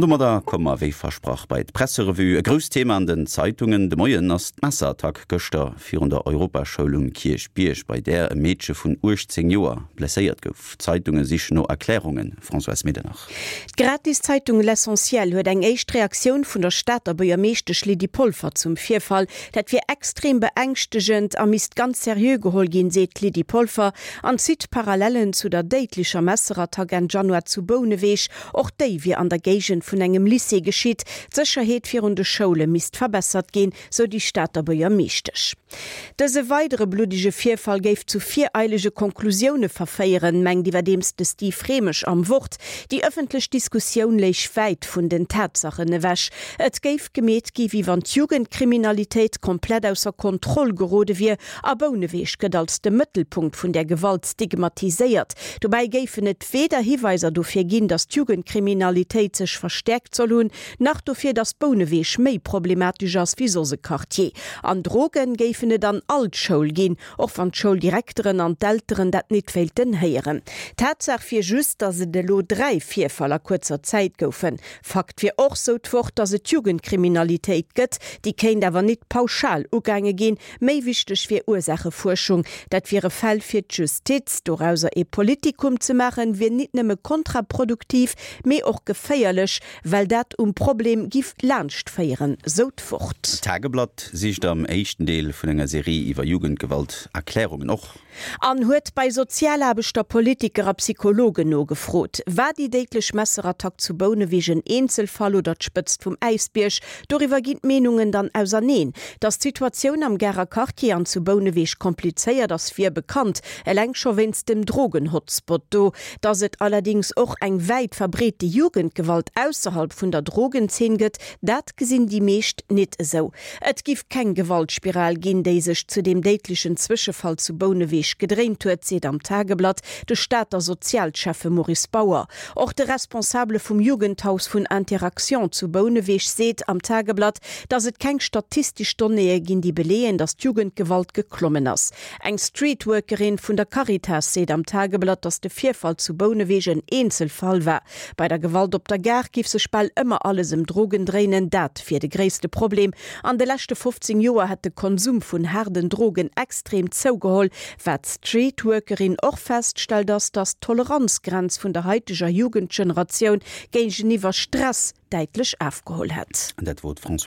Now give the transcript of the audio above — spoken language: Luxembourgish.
An domadder komme mer wéi versprach bei d'Presserevue. E grousst Thema an den Zeitungen de Moien ass d'Messerattack gëschter virun der Europaschoul um Kierchbierg, bei där e Meedche vun 18 Joer blesséiert gouf. D'Zeitunge sichen no Erklärungen. Françoise Medernach. D'Gratiszeitung L'Essentiel huet eng éischt Reaktioun vun der Stater Buergermeeschtesch Lydie Polfer zum Virfall. Dat wier extrem beängschtegend a misst ganz seriö geholl ginn, seet d'Lydie Polfer an zitt Parallellen zu der déidlecher Messerattack Enn Januar zu Bouneweg. Och déi wier an der Géigend vun engem Lycée geschitt. D'Sécherheet virun de Schoule misst verbessert ginn, sou déi Stater Buergermeeschtesch. Dëse weidere bluddege Virfall géif zu vireilege Konklusioune verféieren, mengt iwwerdeems de Steve Rehmesch am Wort. Déi ëffentlech Diskussioun léich wäit vun den Tatsachen ewech. Et géif gemeet gi wéi wann d'Jugendkriminalitéit komplett ausser Kontroll gerode wier a Bouneweg gëtt als de Mëttelpunkt vun där Gewalt stigmatiséiert. Dobäi géifen et weder Hiweiser dofir ginn, datt d'Jugendkriminalitéit sech verstäerkt soll hunn, Nach dofir, datt Bouneweg méi problematesch ass wéi soss e Quartier. An Drogen géifen et an all d'Schoul ginn, och wann d'Schouldirekteren an d'Elteren dat nit wéilten héieren. Tatsaach wier just, datt et elo 3 Virfall a kuerzer Zäit goufen. Fakt wier och, sou d'Wort, datt et Jugendkriminalitéit gëtt, déi kéint awer nit pauschal ugaange ginn. Méi wichteg wier Ursaachefuerschung. Dat wiere Fäll fir d'Justiz. Dorauser ee Politikum ze maachen, wier nit nëmme kontraproduktiv, mee och geféierlech, well dat um Problem giff laanscht féieren, sou d'Wort. D'Tageblatt sicht am éischten Deel vun enger Serie iwwer Jugendgewalt Erklärungen. Och. An huet bei Sozialaarbechter, Politiker a Psychologen nogefrot. War déi déidlech Messerattack zu Bouneweg en Eenzelfall oder d'Spëtzt vum Äisbierg? Doriwwer ginn d'Meenungen dann auserneen. Datt d'Situatioun am Garer Quartier an zu Bouneweg komplizéiert ass, wier bekannt, eleng scho wéinst dem Drogen-Hotspot do. Datt et allerdéngs och eng wäit verbreete Jugendgewalt ausserhalb vun der Drogenzeen gëtt, dat gesinn déi meescht nit esou. Et giff keng Gewaltspiral ginn, déi sech zu deem déidlechen Zwëschefall zu Bouneweg gedréint huet, seet am Tageblatt de Stater Sozialschäffe Maurice Bauer. Och de Responsabele vum Jugendhaus vun Interaction zu Bouneweg seet am Tageblatt, datt et keng statistesch Donnéeë ginn, déi beleeën, datt d'Jugendgewalt geklommen ass. Eng Streetworkerin vun der Caritas seet am Tageblatt, datt de Virfall zu Bouneweg en Eenzelfall war. Bei der Gewalt op der Gare giff sech bal ëmmer alles ëm Drogen dréinen. Dat wier de gréisste Problem. An de leschte 15 Joer hätt de Konsum vun haarden Drogen extrem zougeholl. Wat d'Streetworkerin och feststellt ass, datt d'Toleranzgrenz vun der haiteger Jugendgeneratioun géigeniwwer Stress däitlech afgeholl hätt. Dat wor d'Françoise.